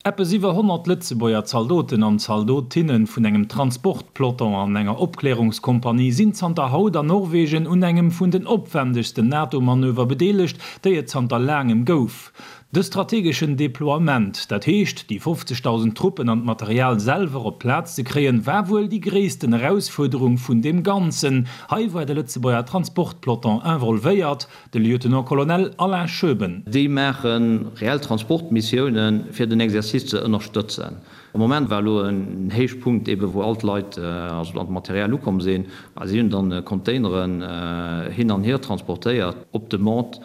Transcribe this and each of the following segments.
Eppes iwwer 100 Lëtzebuerger Zaldoten an Zaldotinne vun engem Transportpeloton an enger Opklärungskompanie sinn zanter haut an Norwegen un engem vun den opwändegsten NATO-Manöver bedeelegt, déi et zanter laangem gouf. De strategeschen Deploiement, dat heescht déi 50.000 Truppen an d'Material selwer op d'Plaz ze kréien, war wuel déi gréissten Erausfuerderung vun deem Ganzen. Hei war de Lëtzebuerger Transportpeloton involvéiert. De Lieutenant-Colonel Alain Schoeben. Déi maache reell Transportmissiounen, fir den Exercice ze ënnerstëtzen. Am Moment war elo en Héichpunkt, ebe wou all d'Leit, also an d'Material ukomm sinn. A si hunn dann Containeren hin an hier transportéiert op Demande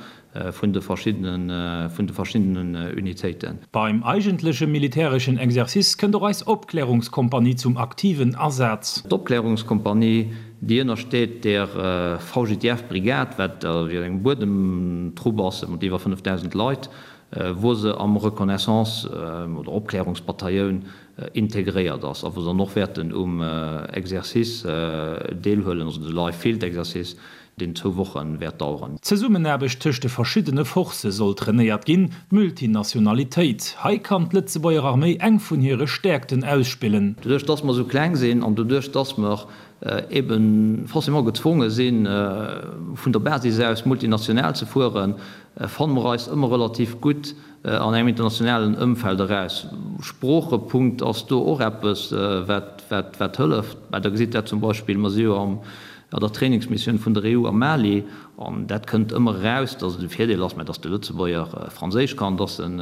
vun de verschiddenen, vun de verschiddenen Unitéiten. Beim eigentleche militäreschen Exercice kënnt och eis Opklärungskompanie zum aktiven Asaz. D'Opklärungskompanie Déi ënnersteet der VGTF-Brigad, wat eng Buedemtrupp ass mat iwwer 5.000 Leit, wou se am Reconnaissance oder Opklärungsbatailloun integréiert ass a wou se dann och wäerten um Exercice deelhuelen, also de Live Field Exercice, deen zwou Woche wäert daueren. D'Zesummenaarbecht tëscht de verschiddene Forcë soll trainéiert ginn, d'Multinationalitéit. Hei kann d'Lëtzebuerger Arméi eng vun hire Stäerkten ausspillen. Doduerch dass mer esou kleng sinn an doduerch dass mer ebe forcément gezwonge sinn, vun der Basis aus multinational ze fueren, fanne mer eis ëmmer relativ gutt an engem internationalen Ëmfeld eraus. Sproochepunkt ass do och eppes, wat hëlleft. Mä Der gesitt dat zum Beispill, mer si jo an der Trainingsmissioun vun der EU am Mali, an dat kënnt ëmmer eraus, dass et e Virdeel ass, mä dass de Lëtzebuerger Franséisch kann, dass en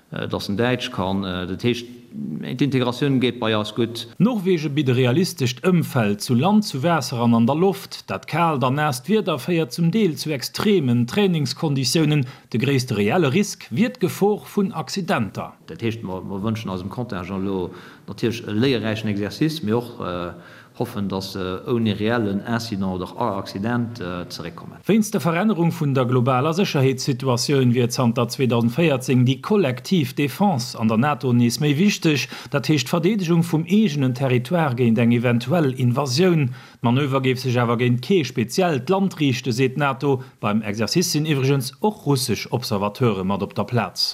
dass en Däitsch kann. Dat heescht, d'Integratioun geet bei eis gutt. Norwegen bitt e realistescht Ëmfeld, zu Land, zu Waasser an an der Loft. Dat kaalt an naasst Wieder féiert zum Deel zu extremen Trainingskonditiounen. De gréisste reelle Risk wier d'Gefor vun Accidenter. Dat heescht, mer wënschen eisem Contingent elo natierlech e léierräichen Exercice, mee och Hoffen, dass se ouni reellen Incident oder Accident zeréckkommen. Wéinst der Verännerung vun der globaler Sécherheetssituatioun wier zanter 2014 déi kollektiv Defense an der NATO nees méi wichteg, dat heescht d'Verdeedegung vum eegenen Territoire géint eng eventuell Invasioun. D'Manöver géif sech awer géint kee speziellt Land riichten, seet d'NATO. Beim Exercice sinn iwwregens och russesch Observateure mat op der Plaz.